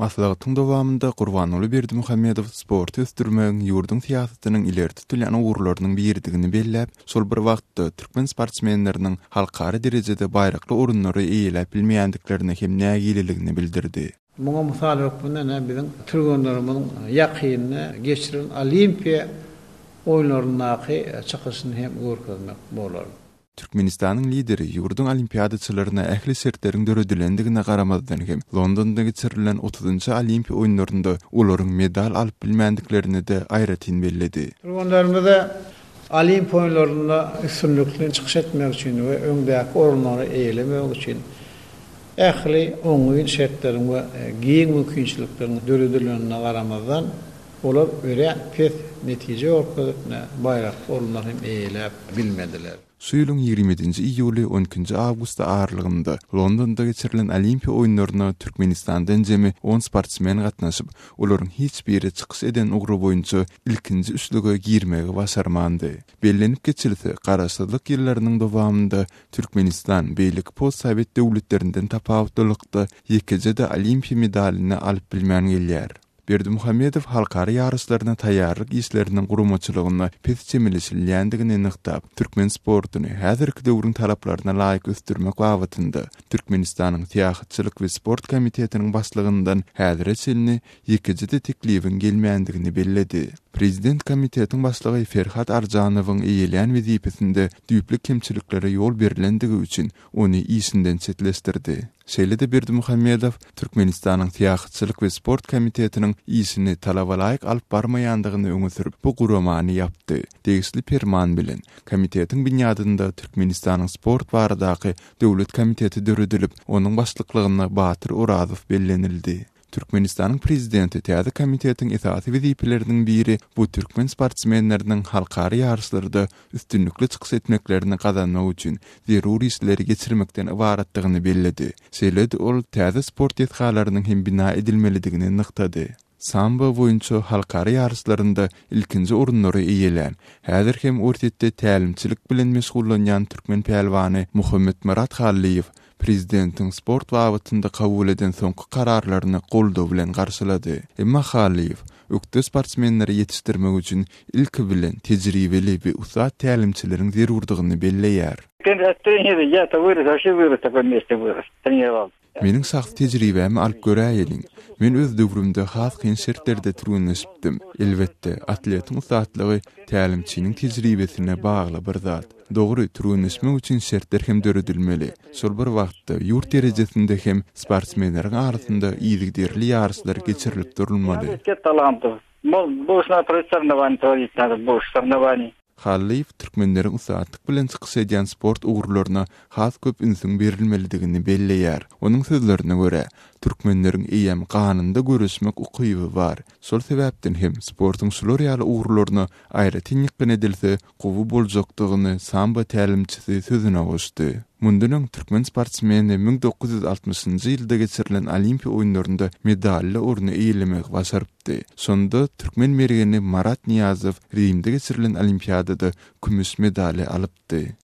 Maslahatyň dowamynda Gurbanguly Berdimuhamedow sporty ösdürmegiň ýurduň syýasatynyň ileri tutulýan ugurlarynyň biridigini belläp, şol bir wagtda türkmen sportsmenleriniň halkara derejede baýrakly orunlary eýeläp bilmeýändiklerine hem nägileligini bildirdi. Muňa mysal hökmünde ine biziň türgenlerimiziň ýakynda geçirilen Olimpiýa oýunlaryndaky çykyşyny hem görkezmek bolar. Türkmenistanyň Lideri ýurduň olimpiadaçylaryna ähli şertleriň döredilendigine garamazdan hem, Londonda geçirilen otuzynjy Olimpiýa oýunlarynda olaryň medal alyp bilmändiklerini-de aýratyn belledi. Türgenlerimize Olimpiýa oýunlarynda üstünlikli çykyş etmek üçin we öňdäki orunlary eýelemek üçin ähli oňyn şertleriň we giň mümkinçilikleriň döredilenine garamazdan, Olar örän pes netije görkezip, baýrakly orunlary hem eýeläp bilmediler. Şu ýylyň 27-nji iýuly, on ikinji awgusty aralygynda Londonda geçirilen Olimpiýa oýunlaryna Türkmenistandan jemi on sportsmen gatnaşyp, olaryň hiç biri çykyş eden ugry boýunça ilkinji üçlüge girmegi başarmandy. Bellenip geçilse, Garaşsyzlyk ýyllarynyň dowamynda Türkmenistan beýleki postsowet döwletlerinden tapawutlylykda ýekeje-de Olimpiýa medalyny alyp bilmän gelýär. Berdimuhamedow halkara ýaryşlaryna taýýarlyk işleriniň guramaçylygyna pes çemeleşilýändigini nygtap, türkmen sportuny häzirki döwrüň talaplaryna laýyk ösdürmek babatynda Türkmenistanyň Syýahatçylyk we sport komitetiniň başlygyndan häzire çenli ýekeje-de teklibiň gelmändigini belledi. Prezident komitetiň başlygy Ferhat Arjanowyň eýeleýän wezipesinde düýpli kemçiliklere ýol berlendigi üçin ony işinden çetleşdirdi. Şeýle-de Berdimuhamedow Türkmenistanyň Syýahatçylyk we sport komitetiniň işini talabalaýyk alyp barmaýandygyny öňe sürüp, bu guramany ýapdy. Degişli perman bilen, komitetiň binýadynda Türkmenistanyň Sport baradaky döwlet komiteti döredilip, onuň başlyklygyna Batyr Orazow bellenildi. Türkmenistanyň Prezidenti täze komitetiň esasy wezipeleriniň biri bu türkmen sportsmenleriniň halkara ýaryşlarda üstünlikli çykyş etmeklerini gazanmak üçin zerur işleri geçirmekden ybaratdygyny belledi. Şeýle-de ol täze sport desgalarynyň hem bina edilmelidigini nygtady. Sambo boýunça halkara ýaryşlarynda ilkinji orunlary eýelän, häzir hem Orsýetde tälimçilik bilen meşgullanýan türkmen pälwany Muhammetmyrat Hallyýew Prezidentiň sport babatynda kabul eden soňky kararlaryny goldaw bilen garşylady. Emma Hallyýew ökde sportsmenleri ýetişdirmek üçin ilki bilen tejribeli we ussat tälimçileriň zerurdygyny belleýär. Meniň şahsy tejribämi alyp göräýeliň. Men öz döwrümde has kyn şertlerde türgenleşipdim. Elbetde, atletiň ussatlygy tälimçiniň tejribesine bagly bir zat. Dogry, türgenleşmek üçin şertler hem döredilmeli. Şol bir wagtda, ýurt derejesinde hem sportsmenleriň arasynda yzygiderli ýaryşlar geçirilip durulmaly. Hallyýew türkmenleriň ussatlyk bilen çykyş edýän sport ugurlaryna has köp ünsüň berilmelidigini belleýär. Onuň sözlerine görä, türkmenleriň eýýäm ganynda göreşmek ukyby bar. Şol sebäpden hem sportuň şular ýaly ugurlaryna aýratyn ýykgyn edilse, gowy boljakdygyny sambo tälimçisi sözüne goşdy. Mundan öň türkmen sportsmeni 1960-njy ýylda geçirilen Olimpiýa oýunlarynda medally orny eýelemegi başarypdy. Şonda türkmen mergeni Marat Nyýazow Rimde geçirilen Olimpiadada kümüş medaly alypdy.